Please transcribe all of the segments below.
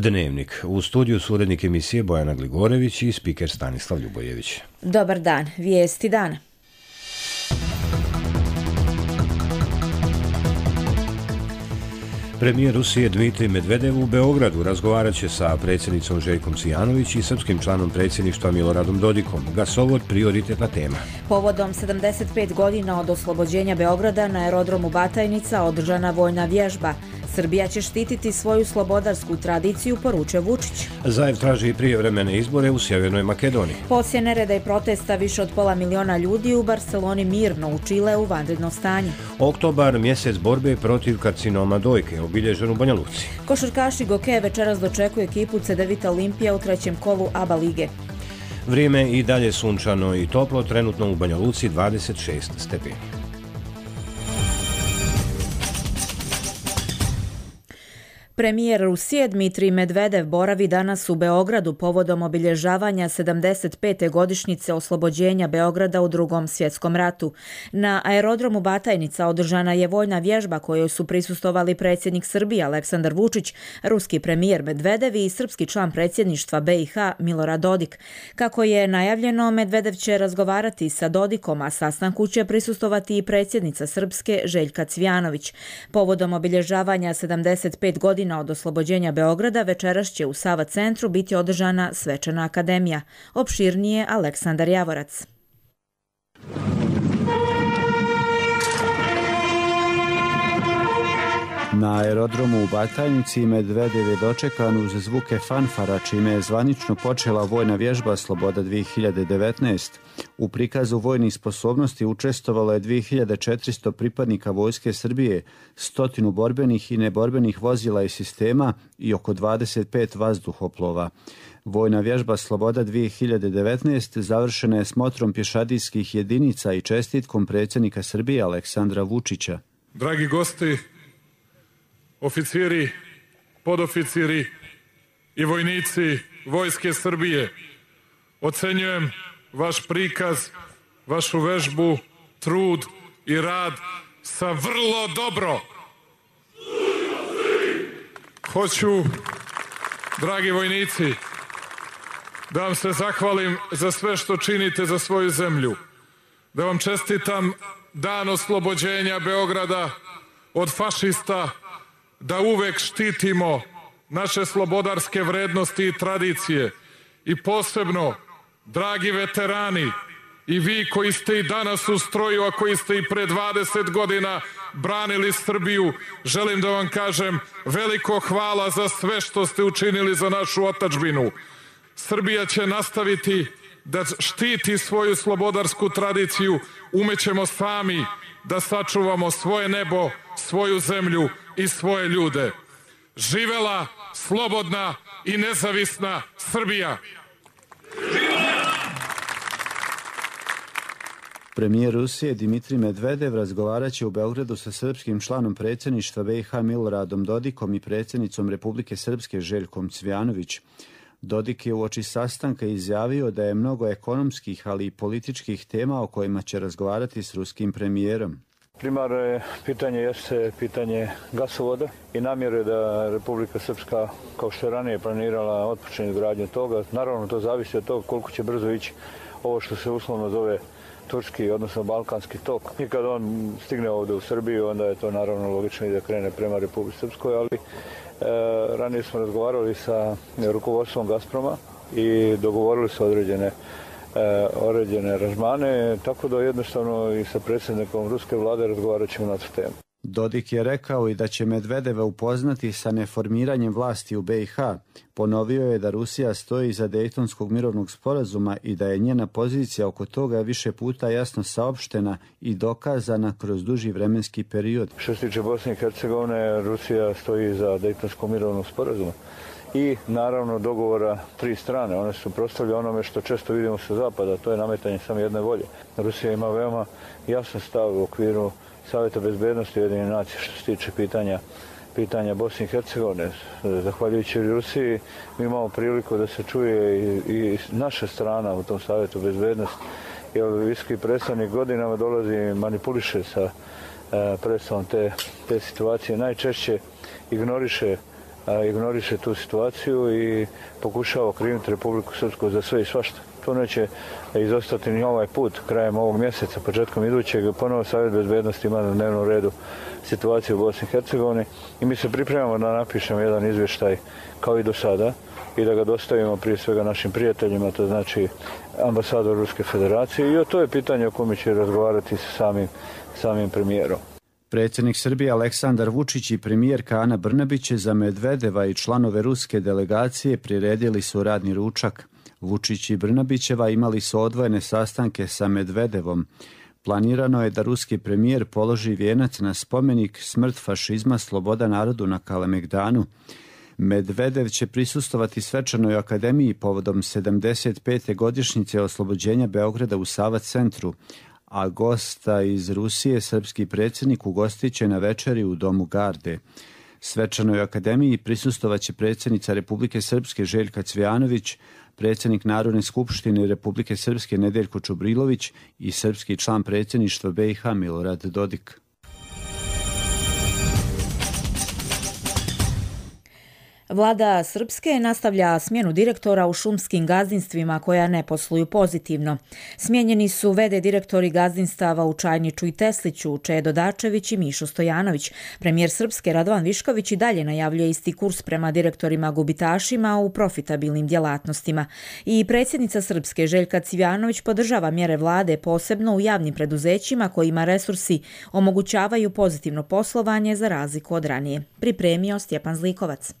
Dnevnik. U studiju su urednik emisije Bojana Gligorević i spiker Stanislav Ljubojević. Dobar dan, vijesti dana. Premijer Rusije Dmitrij Medvedev u Beogradu razgovarat će sa predsjednicom Željkom Cvijanović i srpskim članom predsjedništva Miloradom Dodikom. Gasovod prioritetna tema. Povodom 75 godina od oslobođenja Beograda na aerodromu Batajnica održana vojna vježba. Srbija će štititi svoju slobodarsku tradiciju, poručuje Vučić. Zajev traži i prijevremene izbore u Sjevernoj Makedoniji. Poslije nereda i protesta više od 500.000 ljudi u Barceloni mirno, u Čileu vanredno stanje. Oktobar, mjesec borbe protiv karcinoma dojke, obilježen u Banja Luci. Košarkaši Goke večeras dočekuju ekipu Cedevita Olimpija u trećem kolu ABA lige. Vrijeme i dalje sunčano i toplo, trenutno u Banja Luci 26 stepeni. Premijer Rusije Dmitrij Medvedev boravi danas u Beogradu povodom obilježavanja 75. godišnjice oslobođenja Beograda u Drugom svjetskom ratu. Na aerodromu Batajnica održana je vojna vježba kojoj su prisustvovali predsjednik Srbije Aleksandar Vučić, ruski premijer Medvedev i srpski član predsjedništva BiH Milorad Dodik. Kako je najavljeno, Medvedev će razgovarati sa Dodikom, a sastanku će prisustvovati i predsjednica Srpske Željka Cvijanović. Povodom obilježavanja 75 godina od oslobođenja Beograda večeras će u Sava centru biti održana svečana akademija. Opširnije Aleksandar Javorac. Na aerodromu u Batajnici Medvedev je dočekan uz zvuke fanfara, čime je zvanično počela vojna vježba Sloboda 2019. U prikazu vojnih sposobnosti učestvovalo je 2400 pripadnika Vojske Srbije, 100 borbenih i neborbenih vozila i sistema i oko 25 vazduhoplova. Vojna vježba Sloboda 2019 završena je smotrom pješadijskih jedinica i čestitkom predsjednika Srbije Aleksandra Vučića. Dragi gosti, oficiri, podoficiri i vojnici Vojske Srbije, ocenjujem vaš prikaz, vašu vežbu, trud i rad sa vrlo dobro. Hoću, dragi vojnici, da vam se zahvalim za sve što činite za svoju zemlju, da vam čestitam dan oslobođenja Beograda od fašista, da uvek štitimo naše slobodarske vrednosti i tradicije i posebno, dragi veterani, i vi koji ste i danas u stroju, a koji ste i pre 20 godina branili Srbiju, želim da vam kažem veliko hvala za sve što ste učinili za našu otadžbinu. Srbija će nastaviti da štiti svoju slobodarsku tradiciju, umećemo sami da sačuvamo svoje nebo, svoju zemlju i svoje ljude. Živela slobodna i nezavisna Srbija! Premijer Rusije Dmitrij Medvedev razgovarat će u Beogradu sa srpskim članom predsjedništva BiH Miloradom Dodikom i predsjednicom Republike Srpske Željkom Cvijanović. Dodik je uoči sastanka izjavio da je mnogo ekonomskih, ali i političkih tema o kojima će razgovarati s ruskim premijerom. Primarno pitanje jeste pitanje gasovoda i namjere da Republika Srpska, kao što je ranije planirala, otpočne izgradnju toga. Naravno, to zavisi od toga koliko će brzo ići ovo što se uslovno zove turski, odnosno balkanski tok. I kad on stigne ovdje u Srbiju, onda je to naravno logično i da krene prema Republici Srpskoj, ali ranije smo razgovarali sa rukovodstvom Gazproma i dogovorili su određene aranžmane, tako da jednostavno i sa predsjednikom ruske vlade razgovarat ćemo na tu temu. Dodik je rekao i da će Medvedeva upoznati sa neformiranjem vlasti u BiH. Ponovio je da Rusija stoji iza Dejtonskog mirovnog sporazuma i da je njena pozicija oko toga više puta jasno saopštena i dokazana kroz duži vremenski period. Što se tiče Bosne i Hercegovine, Rusija stoji iza Dejtonskog mirovnog sporazuma i naravno dogovora tri strane. One su prostavljene onome što često vidimo sa zapada, to je nametanje samo jedne volje. Rusija ima veoma jasan stav u okviru Savjeta bezbednosti Ujedinjenih nacija što se tiče pitanja Bosne i Hercegovine. Zahvaljujući Rusiji mi imamo priliku da se čuje i naša strana u tom Savjetu bezbednosti. Jer visoki predstavnik godinama dolazi i manipuliše sa predstavom te situacije. Najčešće ignoriše ignoriše tu situaciju i pokušava okriviti Republiku Srpsku za sve i svašta. To neće izostati ni ovaj put. Krajem ovog mjeseca, početkom idućeg, ponovo Savjet bezbednosti ima na dnevnom redu situaciju u Bosni i Hercegovini i mi se pripremamo da napišemo jedan izvještaj kao i do sada i da ga dostavimo prije svega našim prijateljima, to znači ambasador Ruske federacije, i to je pitanje o kome će razgovarati sa samim premijerom. Predsjednik Srbije Aleksandar Vučić i premijerka Ana Brnabić za Medvedeva i članove ruske delegacije priredili su radni ručak. Vučić i Brnabićeva imali su odvojene sastanke sa Medvedevom. Planirano je da ruski premijer položi vijenac na spomenik Smrt fašizma, sloboda narodu na Kalemegdanu. Medvedev će prisustovati svečanoj akademiji povodom 75. godišnjice oslobođenja Beograda u Sava centru, a gosta iz Rusije srpski predsjednik ugostit će na večeri u Domu Garde. Svečanoj akademiji prisustovaće predsjednica Republike Srpske Željka Cvijanović, predsjednik Narodne skupštine Republike Srpske Nedeljko Čubrilović i srpski član predsjedništva BiH Milorad Dodik. Vlada Srpske nastavlja smjenu direktora u šumskim gazdinstvima koja ne posluju pozitivno. Smijenjeni su v.d. direktori gazdinstava u Čajniču i Tesliću, Čedo Dačević i Mišo Stojanović. Premijer Srpske Radovan Višković i dalje najavljuje isti kurs prema direktorima gubitašima u profitabilnim djelatnostima. I predsjednica Srpske Željka Cvijanović podržava mjere vlade posebno u javnim preduzećima kojima resursi omogućavaju pozitivno poslovanje za razliku od ranije. Pripremio Stjepan Zlikovac.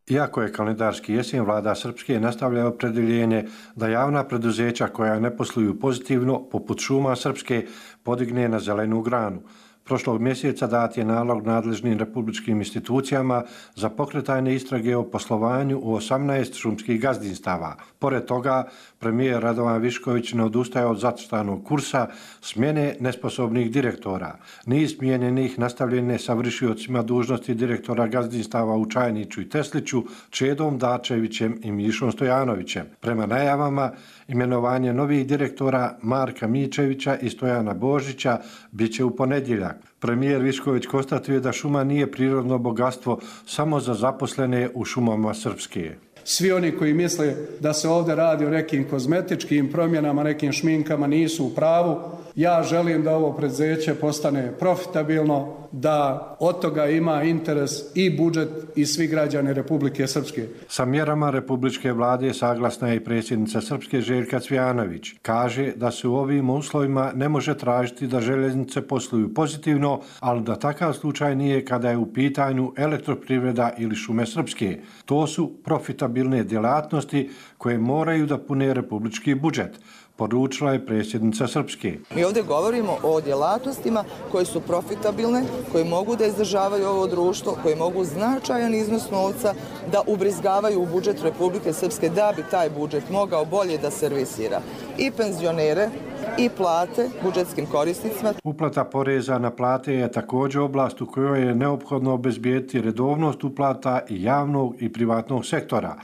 Iako je kalendarski jesen, vlada Srpske nastavlja opredjeljenje da javna preduzeća koja ne posluju pozitivno, poput šuma Srpske, podigne na zelenu granu. Prošlog mjeseca dat je nalog nadležnim republičkim institucijama za pokretanje istrage o poslovanju u 18 šumskih gazdinstava. Pored toga, premijer Radovan Višković ne odustaje od zacrtanog kursa smjene nesposobnih direktora. Niz smijenjenih nastavljen je sa vršiocima dužnosti direktora gazdinstava u Čajniču i Tesliću, Čedom Dačevićem i Mišom Stojanovićem. Prema najavama, imenovanje novih direktora Marka Mičevića i Stojana Božića bit će u ponedjeljak. Premijer Višković konstatuje da šuma nije prirodno bogatstvo samo za zaposlene u šumama Srpske. Svi oni koji misle da se ovdje radi o nekim kozmetičkim promjenama, nekim šminkama, nisu u pravu. Ja želim da ovo preduzeće postane profitabilno, da od toga ima interes i budžet i svi građani Republike Srpske. Sa mjerama republičke vlade saglasna je i predsjednica Srpske Željka Cvijanović. Kaže da se u ovim uslovima ne može tražiti da željeznice posluju pozitivno, ali da takav slučaj nije kada je u pitanju elektroprivreda ili šume Srpske. To su profitabilne djelatnosti koje moraju da pune republički budžet, poručila je predsjednica Srpske. Mi ovdje govorimo o djelatnostima koje su profitabilne, koje mogu da izdržavaju ovo društvo, koje mogu značajan iznos novca da ubrizgavaju u budžet Republike Srpske da bi taj budžet mogao bolje da servisira i penzionere i plate budžetskim korisnicima. Uplata poreza na plate je također oblast u kojoj je neophodno obezbijeti redovnost uplata i javnog i privatnog sektora.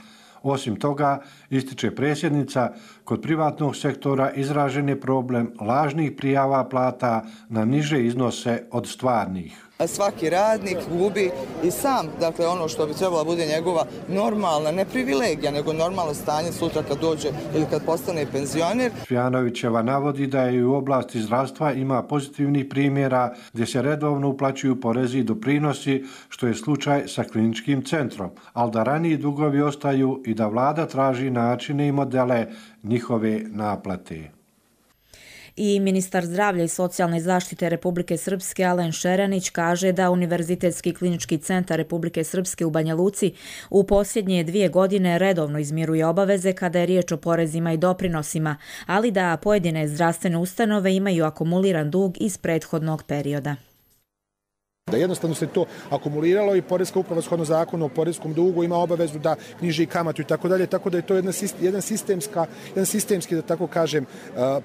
Osim toga, ističe predsjednica, kod privatnog sektora izražen je problem lažnih prijava plata na niže iznose od stvarnih. Svaki radnik gubi i sam, dakle ono što bi trebala bude njegova normalna, ne privilegija, nego normalno stanje sutra kad dođe ili kad postane penzioner. Cvijanovićeva navodi da je u oblasti zdravstva ima pozitivnih primjera gdje se redovno uplaćuju porezi i doprinosi, što je slučaj sa kliničkim centrom, ali da raniji dugovi ostaju i da vlada traži načine i modele njihove naplate. I ministar zdravlja i socijalne zaštite Republike Srpske Alen Šeranić kaže da Univerzitetski klinički centar Republike Srpske u Banja Luci u posljednje 2 godine redovno izmiruje obaveze kada je riječ o porezima i doprinosima, ali da pojedine zdravstvene ustanove imaju akumuliran dug iz prethodnog perioda. Da jednostavno se to akumuliralo i Poreska uprava shodno zakonu o poreskom dugu ima obavezu da knjiži kamatu i tako dalje, tako da je to jedan sistemski, da tako kažem,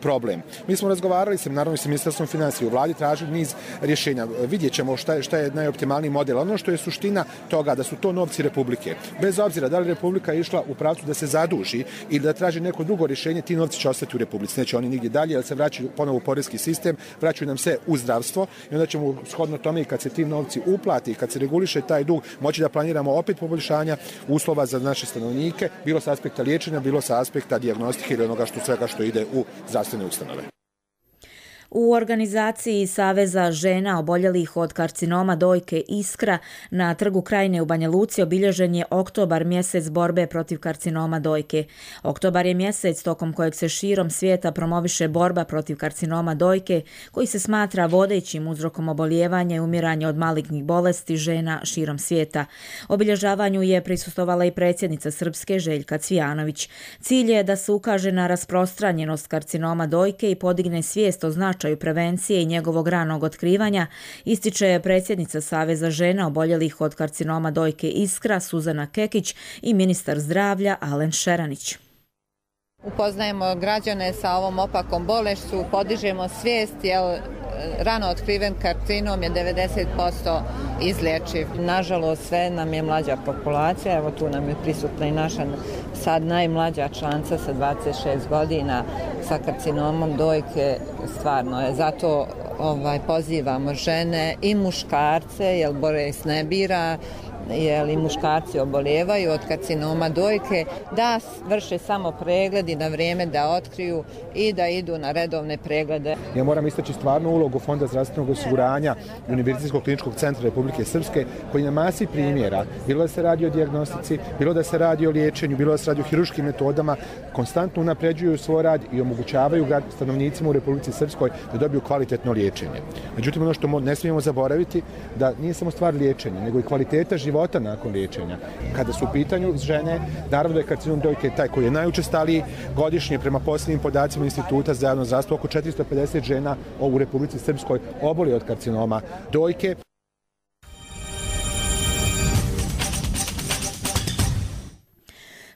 problem. Mi smo razgovarali naravno sa Ministarstvom financija u vladi, tražili niz rješenja. Vidjet ćemo šta je najoptimalniji model. Ono što je suština toga da su to novci Republike. Bez obzira da li Republika išla u pravcu da se zaduži ili da traži neko drugo rješenje, ti novci će ostati u Republici. Neće oni nigdje dalje, jer se vraćaju ponovo u poreski sistem, vraćaju nam se u zdravstvo i onda ćemo shodno tome i kad se se ti novci uplati, kad se reguliše taj dug, moći da planiramo opet poboljšanja uslova za naše stanovnike, bilo sa aspekta liječenja, bilo sa aspekta dijagnostike ili onoga svega što ide u zdravstvene ustanove. U organizaciji Saveza žena oboljelih od karcinoma dojke Iskra na Trgu Krajine u Banja Luci obilježen je oktobar, mjesec borbe protiv karcinoma dojke. Oktobar je mjesec tokom kojeg se širom svijeta promoviše borba protiv karcinoma dojke, koji se smatra vodećim uzrokom obolijevanja i umiranja od malignih bolesti žena širom svijeta. Obilježavanju je prisustvovala i predsjednica Srpske Željka Cvijanović. Cilj je da se ukaže na rasprostranjenost karcinoma dojke i podigne svijest o značaju prevencije i njegovog ranog otkrivanja, ističe predsjednica Saveza žena oboljelih od karcinoma dojke Iskra Suzana Kekić i ministar zdravlja Alen Šeranić. Upoznajemo građane sa ovom opakom bolešću, podižemo svijest, jer rano otkriven karcinom je 90% izlječiv. Nažalost, sve nam je mlađa populacija, evo tu nam je prisutna i naša sad najmlađa članca sa 26 godina sa karcinomom dojke, stvarno je. Zato pozivamo žene i muškarce, jer bolest ne bira, jer i muškarci obolijevaju od karcinoma dojke, da vrše samo pregled i na vrijeme da otkriju i da idu na redovne preglede. Ja moram istaći stvarnu ulogu Fonda zdravstvenog osiguranja i Univerzitetskog kliničkog centra Republike Srpske, koji na masi primjera, bilo da se radi o dijagnostici, bilo da se radi o liječenju, bilo da se radi o hiruškim metodama, konstantno unapređuju svoj rad i omogućavaju stanovnicima u Republici Srpskoj da dobiju kvalitetno liječenje. Međutim, ono što ne smijemo zaboraviti, da nije samo stvar liječenja, nego i kvaliteta života nakon liječenja. Kada su u pitanju žene, naravno da je karcinom dojke taj koji je najučestaliji. Godišnje, prema posljednjim podacima Instituta za javno zdravstvo, oko 450 žena u Republici Srpskoj oboli od karcinoma dojke.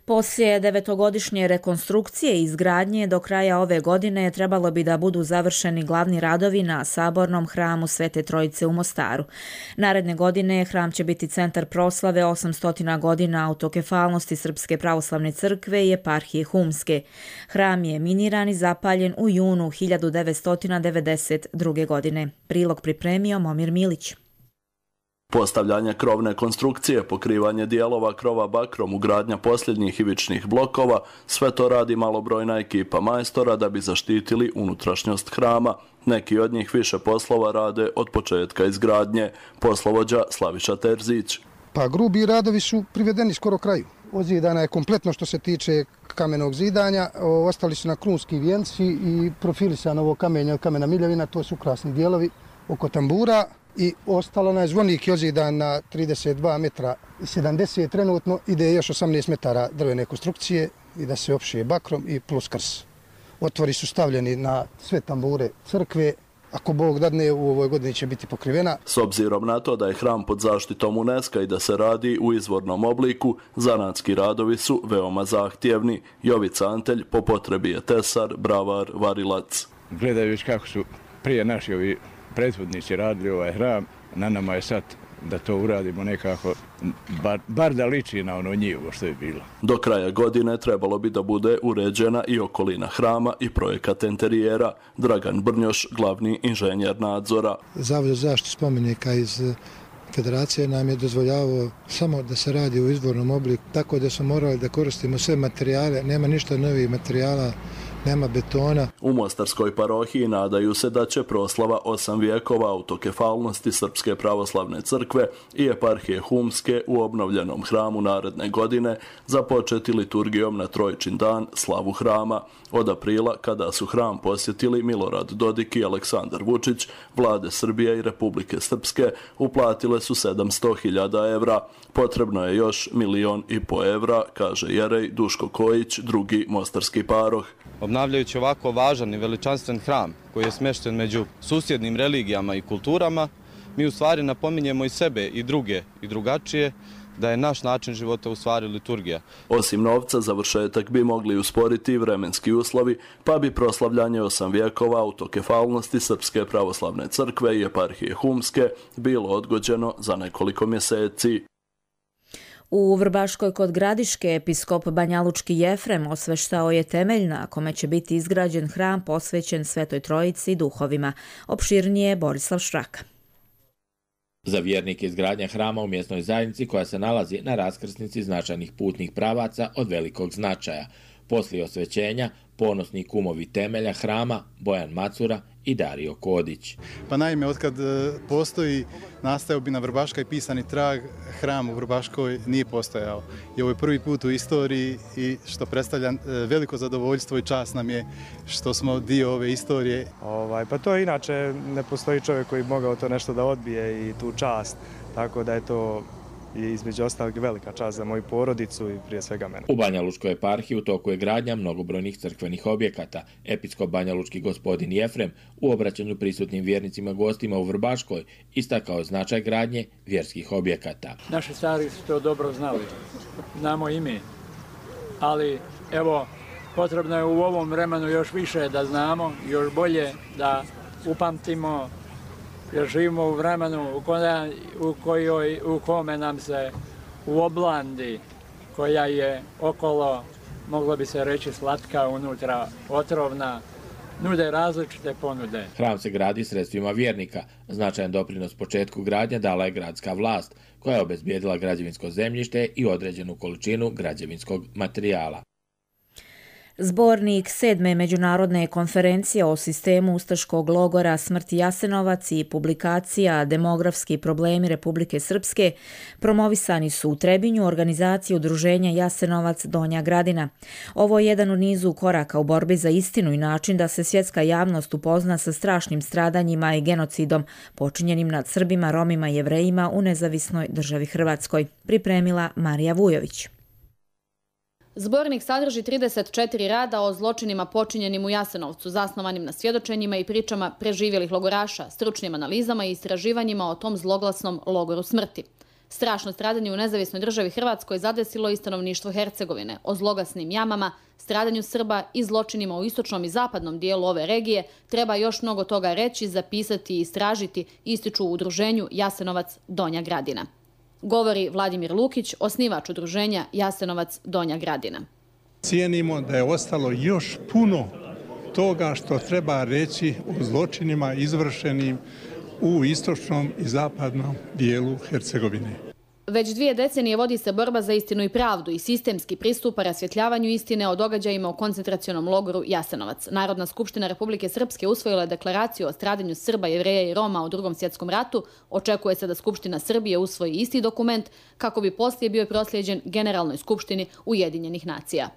Poslije 9-godišnje rekonstrukcije i izgradnje do kraja ove godine trebalo bi da budu završeni glavni radovi na Sabornom hramu Svete Trojice u Mostaru. Naredne godine hram će biti centar proslave 800 godina autokefalnosti Srpske pravoslavne crkve i eparhije Humske. Hram je miniran i zapaljen u junu 1992. godine. Prilog pripremio Momir Milić. Postavljanje krovne konstrukcije, pokrivanje dijelova krova bakrom, ugradnja posljednjih ivičnih blokova, sve to radi malobrojna ekipa majstora da bi zaštitili unutrašnjost hrama. Neki od njih više poslova rade od početka izgradnje. Poslovođa Slaviša Terzić. Pa grubi radovi su privedeni skoro kraju. Ozidana je kompletno što se tiče kamenog zidanja, ostali su na krunski vijenci i profilisano ovo kamenje od kamena miljevina, to su krasni dijelovi oko tambura. I ostalo je zvonik je ozidan na 32 metra 70, trenutno ide još 18 metara drvene konstrukcije i da se opšije bakrom i plus krs. Otvori su stavljeni na sve tambure crkve, ako Bog dadne u ovoj godini će biti pokrivena. S obzirom na to da je hram pod zaštitom UNESCO i da se radi u izvornom obliku, zanatski radovi su veoma zahtjevni. Jovica Antelj po potrebi je tesar, bravar, varilac. Gledajući kako su prije naši ovi prethodnici radili ovaj hram, na nama je sad da to uradimo nekako, bar da liči na ono njivo što je bilo. Do kraja godine trebalo bi da bude uređena i okolina hrama i projekat interijera. Dragan Brnjoš, glavni inženjer nadzora. Zavod za zaštitu spomenika iz Federacije nam je dozvoljavao samo da se radi u izvornom obliku, tako da smo morali da koristimo sve materijale, nema ništa novih materijala, nema betona. U Mostarskoj parohiji nadaju se da će proslava 8 vijekova autokefalnosti Srpske pravoslavne crkve i eparhije Humske u obnovljenom hramu naredne godine započeti liturgijom na Trojičin dan, slavu hrama. Od aprila, kada su hram posjetili Milorad Dodik i Aleksandar Vučić, vlade Srbije i Republike Srpske uplatile su 700.000 evra. Potrebno je još 1,5 miliona evra, kaže jerej Duško Kojić, drugi mostarski paroh. Obnavljajući ovako važan i veličanstven hram koji je smješten među susjednim religijama i kulturama, mi u stvari napominjemo i sebe i druge i drugačije da je naš način života u stvari liturgija. Osim novca, završetak bi mogli usporiti vremenski uslovi, pa bi proslavljanje 8 vijekova autokefalnosti Srpske pravoslavne crkve i eparhije Humske bilo odgođeno za nekoliko mjeseci. U Vrbaškoj kod Gradiške episkop Banjalučki Jefrem osveštao je temelj na kome će biti izgrađen hram posvećen Svetoj Trojici i duhovima. Opširnije Borislav Šraka. Za vjernike izgradnja hrama u mjesnoj zajednici koja se nalazi na raskrsnici značajnih putnih pravaca od velikog značaja. Poslije osvećenja, ponosni kumovi temelja hrama Bojan Macura i Dario Kodić. Pa naime, otkad postoji nastajobina Vrbaška i pisani trag, hram u Vrbaškoj nije postojao. I ovo je prvi put u istoriji i što predstavlja veliko zadovoljstvo i čast nam je što smo dio ove istorije. Pa to inače ne postoji čovjek koji bi mogao to nešto da odbije i tu čast, tako da je to i između ostalog velika čast za moju porodicu i prije svega mene. U Banja Lučkoj eparhiji u toku je gradnja mnogobrojnih crkvenih objekata. Episkop Banja Lučki gospodin Jefrem u obraćanju prisutnim vjernicima gostima u Vrbaškoj istakao značaj gradnje vjerskih objekata. Naši stari su to dobro znali, znamo i mi, ali evo potrebno je u ovom vremenu još više da znamo, još bolje da upamtimo, jer živimo u vremenu u kome nam se u oblandi koja je okolo, moglo bi se reći slatka, unutra otrovna, nude različite ponude. Hram se gradi sredstvima vjernika. Značajan doprinos početku gradnje dala je gradska vlast, koja je obezbijedila građevinsko zemljište i određenu količinu građevinskog materijala. Zbornik 7. međunarodne konferencije o sistemu ustaškog logora Smrt Jasenovac i publikacija Demografski problemi Republike Srpske promovisani su u Trebinju organizaciji udruženja Jasenovac Donja Gradina. Ovo je jedan u nizu koraka u borbi za istinu i način da se svjetska javnost upozna sa strašnim stradanjima i genocidom počinjenim nad Srbima, Romima i Jevrejima u nezavisnoj državi Hrvatskoj. Pripremila Marija Vujović. Zbornik sadrži 34 rada o zločinima počinjenim u Jasenovcu, zasnovanim na svjedočenjima i pričama preživjelih logoraša, stručnim analizama i istraživanjima o tom zloglasnom logoru smrti. Strašno stradanje u nezavisnoj državi Hrvatskoj zadesilo i stanovništvo Hercegovine. O zloglasnim jamama, stradanju Srba i zločinima u istočnom i zapadnom dijelu ove regije treba još mnogo toga reći, zapisati i istražiti, ističu u udruženju Jasenovac Donja Gradina. Govori Vladimir Lukić, osnivač udruženja Jasenovac Donja Gradina. Cijenimo da je ostalo još puno toga što treba reći o zločinima izvršenim u istočnom i zapadnom dijelu Hercegovine. Već 2 decenije vodi se borba za istinu i pravdu i sistemski pristupa rasvjetljavanju istine o događajima u koncentracionom logoru Jasenovac. Narodna skupština Republike Srpske usvojila je deklaraciju o stradanju Srba, Jevreja i Roma u Drugom svjetskom ratu. Očekuje se da Skupština Srbije usvoji isti dokument kako bi poslije bio proslijeđen Generalnoj skupštini Ujedinjenih nacija.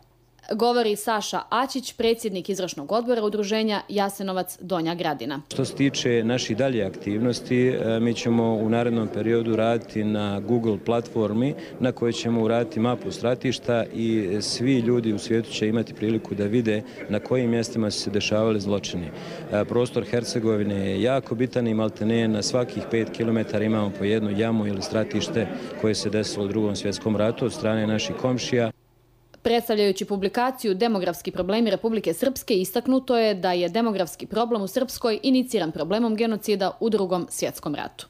Govori Saša Ačić, predsjednik izvršnog odbora udruženja Jasenovac Donja Gradina. Što se tiče naših dalje aktivnosti, mi ćemo u narednom periodu raditi na Google platformi na kojoj ćemo uraditi mapu stratišta i svi ljudi u svijetu će imati priliku da vide na kojim mjestima su se dešavali zločini. Prostor Hercegovine je jako bitan i maltene na svakih 5 km imamo po jednu jamu ili stratište koje se desilo u Drugom svjetskom ratu od strane naših komšija. Predstavljajući publikaciju Demografski problemi Republike Srpske, istaknuto je da je demografski problem u Srpskoj iniciran problemom genocida u Drugom svjetskom ratu.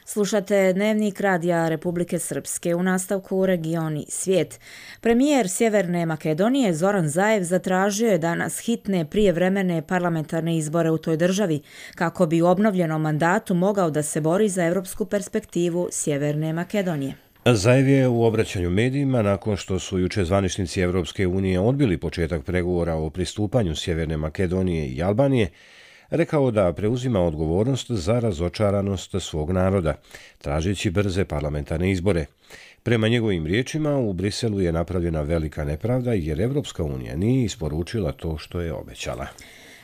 Slušate Dnevnik Radija Republike Srpske, u nastavku Regioni svijet. Premijer Sjeverne Makedonije Zoran Zaev zatražio je danas hitne prijevremene parlamentarne izbore u toj državi, kako bi u obnovljenom mandatu mogao da se bori za evropsku perspektivu Sjeverne Makedonije. Zaev je u obraćanju medijima, nakon što su juče zvaničnici Evropske unije odbili početak pregovora o pristupanju Sjeverne Makedonije i Albanije, rekao da preuzima odgovornost za razočaranost svog naroda, tražeći brze parlamentarne izbore. Prema njegovim riječima, u Briselu je napravljena velika nepravda jer Evropska unija nije isporučila to što je obećala.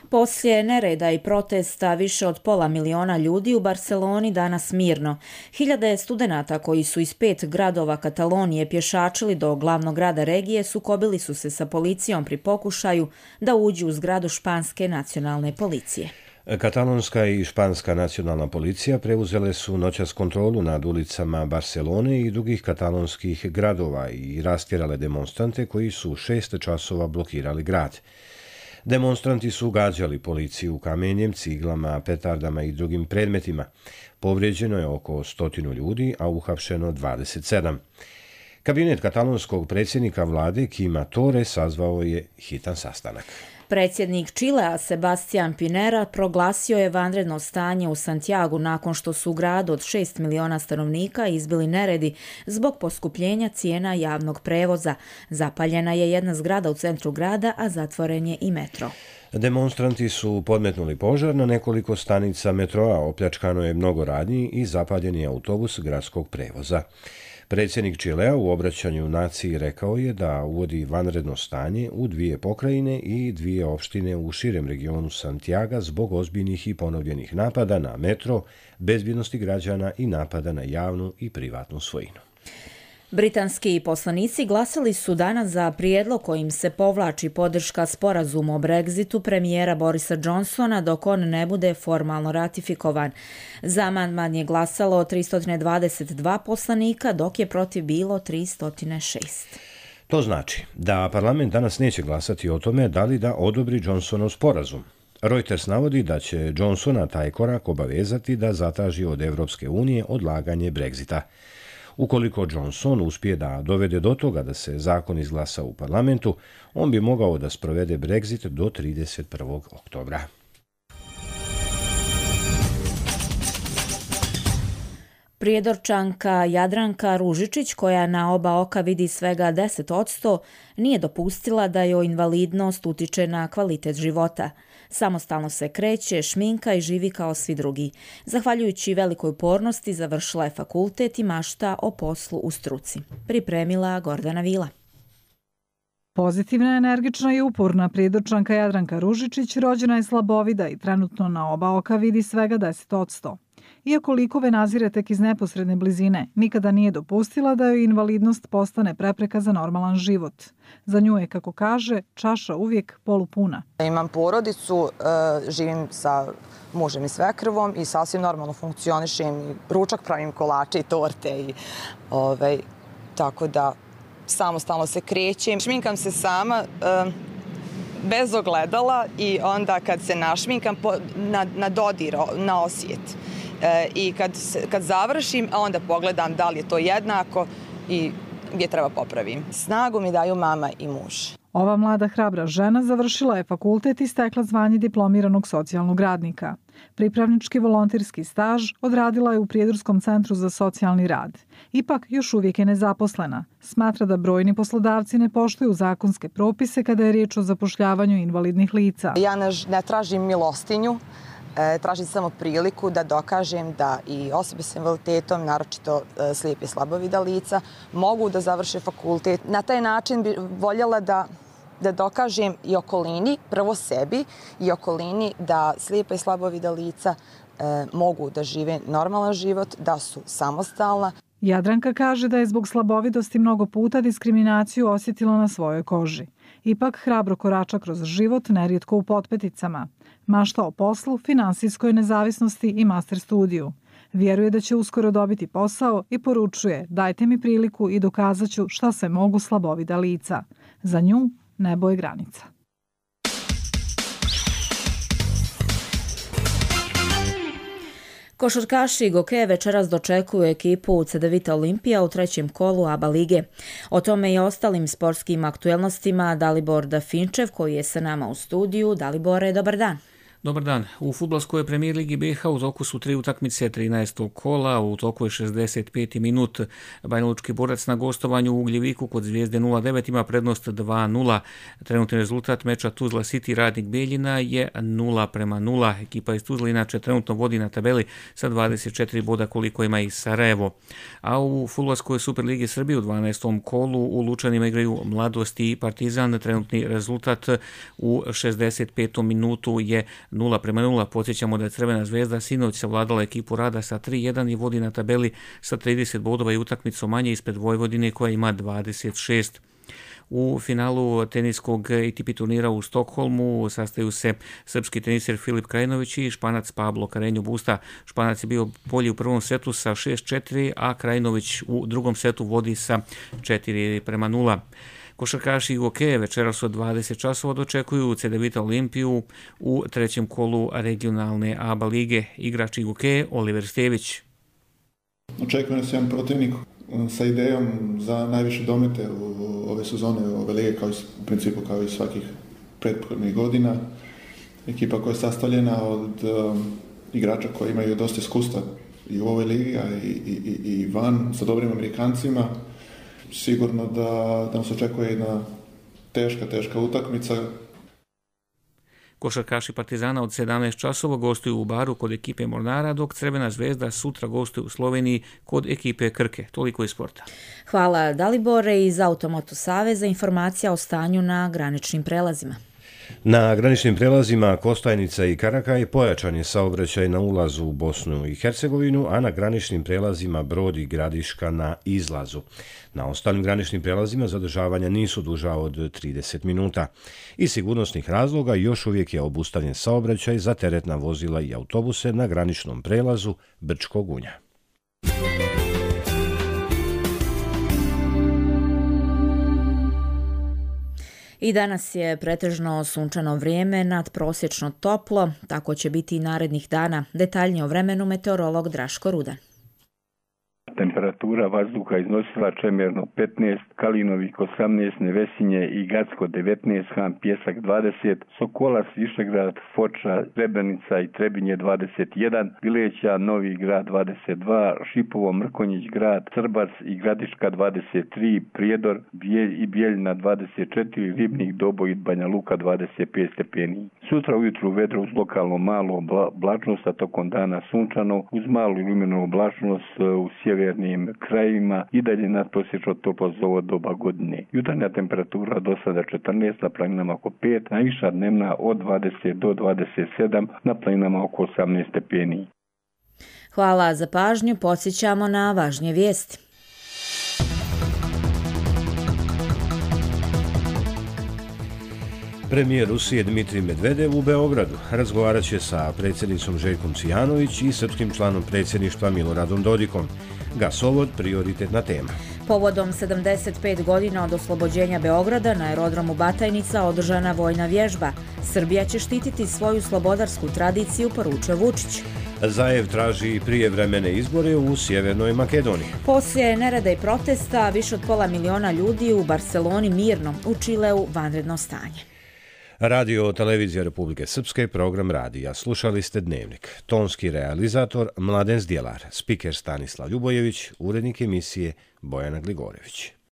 Poslije nereda i protesta više od 500 miliona ljudi u Barceloni danas mirno. Hiljade studenata koji su iz 5 gradova Katalonije pješačili do glavnog grada regije sukobili su se sa policijom pri pokušaju da uđu u zgradu španske nacionalne policije. Katalonska i španska nacionalna policija preuzele su noćas kontrolu nad ulicama Barcelone i drugih katalonskih gradova i rastjerale demonstrante koji su 6 časova blokirali grad. Demonstranti su gađali policiju kamenjem, ciglama, petardama i drugim predmetima. Povrijeđeno je oko 100 ljudi, a uhapšeno 27. Kabinet katalonskog predsjednika vlade Quima Torre sazvao je hitan sastanak. Predsjednik Čilea Sebastián Pinera proglasio je vanredno stanje u Santiagu nakon što su u gradu od 6 miliona stanovnika izbili neredi zbog poskupljenja cijena javnog prevoza. Zapaljena je jedna zgrada u centru grada, a zatvoren je i metro. Demonstranti su podmetnuli požar na nekoliko stanica metroa, opljačkano je mnogo radnji i zapaljen je autobus gradskog prevoza. Predsjednik Čilea u obraćanju naciji rekao je da uvodi vanredno stanje u 2 pokrajine i 2 opštine u širem regionu Santiaga zbog ozbiljnih i ponovljenih napada na metro, bezbjednosti građana i napada na javnu i privatnu svojinu. Britanski poslanici glasali su danas za prijedlog kojim se povlači podrška sporazumu o Brexitu premijera Borisa Johnsona dok on ne bude formalno ratifikovan. Za amandman je glasalo 322 poslanika, dok je protiv bilo 306. To znači da parlament danas neće glasati o tome da li da odobri Johnsonov sporazum. Reuters navodi da će Johnsona taj korak obavezati da zatraži od Evropske unije odlaganje Brexita. Ukoliko Johnson uspije da dovede do toga da se zakon izglasa u parlamentu, on bi mogao da sprovede Brexit do 31. oktobra. Prijedorčanka Jadranka Ružičić, koja na oba oka vidi svega 10%, nije dopustila da joj invalidnost utiče na kvalitet života. Samostalno se kreće, šminka i živi kao svi drugi. Zahvaljujući velikoj upornosti završila je fakultet i mašta o poslu u struci. Pripremila Gordana Vila. Pozitivna, energična i uporna prijedorčanka Jadranka Ružičić rođena je slabovida i trenutno na oba oka vidi svega 10%. Iako likove nazire tek iz neposredne blizine, nikada nije dopustila da joj invalidnost postane prepreka za normalan život. Za nju je, kako kaže, čaša uvijek polupuna. Imam porodicu, živim sa mužem i svekrvom i sasvim normalno funkcionišem. Ručak pravim, kolače i torte. Tako da samostalno se krećem. Šminkam se sama, bez ogledala i onda kad se našminkam na dodir, na osjet. I kad završim, onda pogledam da li je to jednako i gdje treba popravim. Snagu mi daju mama i muž. Ova mlada hrabra žena završila je fakultet i stekla zvanje diplomiranog socijalnog radnika. Pripravnički volonterski staž odradila je u Prijedorskom centru za socijalni rad. Ipak još uvijek je nezaposlena. Smatra da brojni poslodavci ne poštuju zakonske propise kada je riječ o zapošljavanju invalidnih lica. Ja ne tražim milostinju, tražim samo priliku da dokažem da i osobe s invaliditetom, naročito slijepe i slabovida lica, mogu da završe fakultet. Na taj način bi voljela da dokažem i okolini, prvo sebi i okolini, da slijepa i slabovida lica mogu da žive normalan život, da su samostalna. Jadranka kaže da je zbog slabovidosti mnogo puta diskriminaciju osjetila na svojoj koži. Ipak hrabro korača kroz život, nerijetko u potpeticama. Mašta o poslu, finansijskoj nezavisnosti i master studiju. Vjeruje da će uskoro dobiti posao i poručuje: dajte mi priliku i dokazat ću šta se mogu slabovida lica. Za nju nebo je granica. Košarkaši Goke večeras dočekuju ekipu Cedevita Olimpija u 3. kolu ABA lige. O tome i ostalim sportskim aktuelnostima Dalibor Dafinčev, koji je sa nama u studiju. Dalibore, dobar dan. Dobar dan. U fudbalskoj premijer ligi BiH u toku su 3 utakmice 13. kola, u toku je 65. minut. Banjalučki Borac na gostovanju u Ugljeviku kod Zvijezde 09 ima prednost 2-0. Trenutni rezultat meča Tuzla City Radnik Beljina je 0-0. Ekipa iz Tuzla inače trenutno vodi na tabeli sa 24 boda koliko ima i Sarajevo. A u fudbalskoj Superligi Srbije u 12. kolu u Lučanima igraju Mladost i Partizan. Trenutni rezultat u 65. minutu je 0-0. Podsjećamo da je Crvena zvezda sinoć savladala ekipu Rada sa 3-1 i vodi na tabeli sa 30 bodova i utakmicu manje ispred Vojvodine koja ima 26. U finalu teniskog ATP turnira u Stokholmu sastaju se srpski teniser Filip Krajinović i Španac Pablo Carreño Busta. Španac je bio bolji u prvom setu sa 6-4, a Krajinović u drugom setu vodi sa 4-0. Košarkaši Goke večeras od 20 časova dočekuju Cedevita Olimpiju u 3. kolu regionalne ABA lige. Igrač Goke Oliver Stević. Očekuje nas jedan protivnik sa idejom za najviše domete u ove sezone, ove lige, u principu kao i svakih prethodnih godina. Ekipa koja je sastavljena od igrača koji imaju dosta iskustva i u ovoj ligi, a i van, sa dobrim Amerikancima. Sigurno da nas očekuje jedna teška utakmica. Košarkaši Partizana od 17 časova gostuju u Baru kod ekipe Mornara, dok Crvena zvezda sutra gostuje u Sloveniji kod ekipe Krke. Toliko iz sporta. Hvala Dalibore iz Automoto Saveza. Informacija o stanju na graničnim prelazima. Na graničnim prelazima Kostajnica i Karakaj pojačan je saobraćaj na ulazu u Bosnu i Hercegovinu, a na graničnim prelazima Brod i Gradiška na izlazu. Na ostalim graničnim prelazima zadržavanja nisu duža od 30 minuta. Iz sigurnosnih razloga još uvijek je obustavljen saobraćaj za teretna vozila i autobuse na graničnom prelazu Brčko Gunja. I danas je pretežno sunčano vrijeme, nadprosječno toplo, tako će biti i narednih dana. Detaljnije o vremenu meteorolog Draško Rudan. Temperatura vazduha iznosila Čemerno 15, Kalinovik 18, Nevesinje i Gacko 19, Han Pjesak 20, Sokolac, Višegrad, Foča, Srebrenica i Trebinje 21, Bileća, Novi Grad 22, Šipovo, Mrkonjić Grad, Crbac i Gradiška 23, Prijedor i Bijeljina 24, Ribnik, Doboj i Banja Luka 25 stepeni. Sutra ujutru vedro uz lokalno malo oblačnost, a tokom dana sunčano uz malu iluminu oblačnost u sjevernim krajevima i dalje nadprosječno toplo za ovo doba godine. Jutarnja temperatura do sada 14, na planinama oko 5, najviša dnevna od 20 do 27, na planinama oko 18 stepeni. Hvala za pažnju, podsjećamo na važnije vijesti. Premijer Rusije Dmitrij Medvedev u Beogradu razgovarat će sa predsjednicom Željkom Cvijanović i srpskim članom predsjedništva Miloradom Dodikom. Gasovod prioritetna tema. Povodom 75 godina od oslobođenja Beograda na aerodromu Batajnica održana vojna vježba. Srbija će štititi svoju slobodarsku tradiciju, poručuje Vučić. Zaev traži prijevremene izbore u Sjevernoj Makedoniji. Poslije nereda i protesta više od 500.000 ljudi u Barceloni mirno, u Čileu vanredno stanje. Radio Televizija Republike Srpske, program radija. Slušali ste Dnevnik. Tonski realizator Mladen Zdjelar, spiker Stanislav Ljubojević, urednik emisije Bojana Gligorević.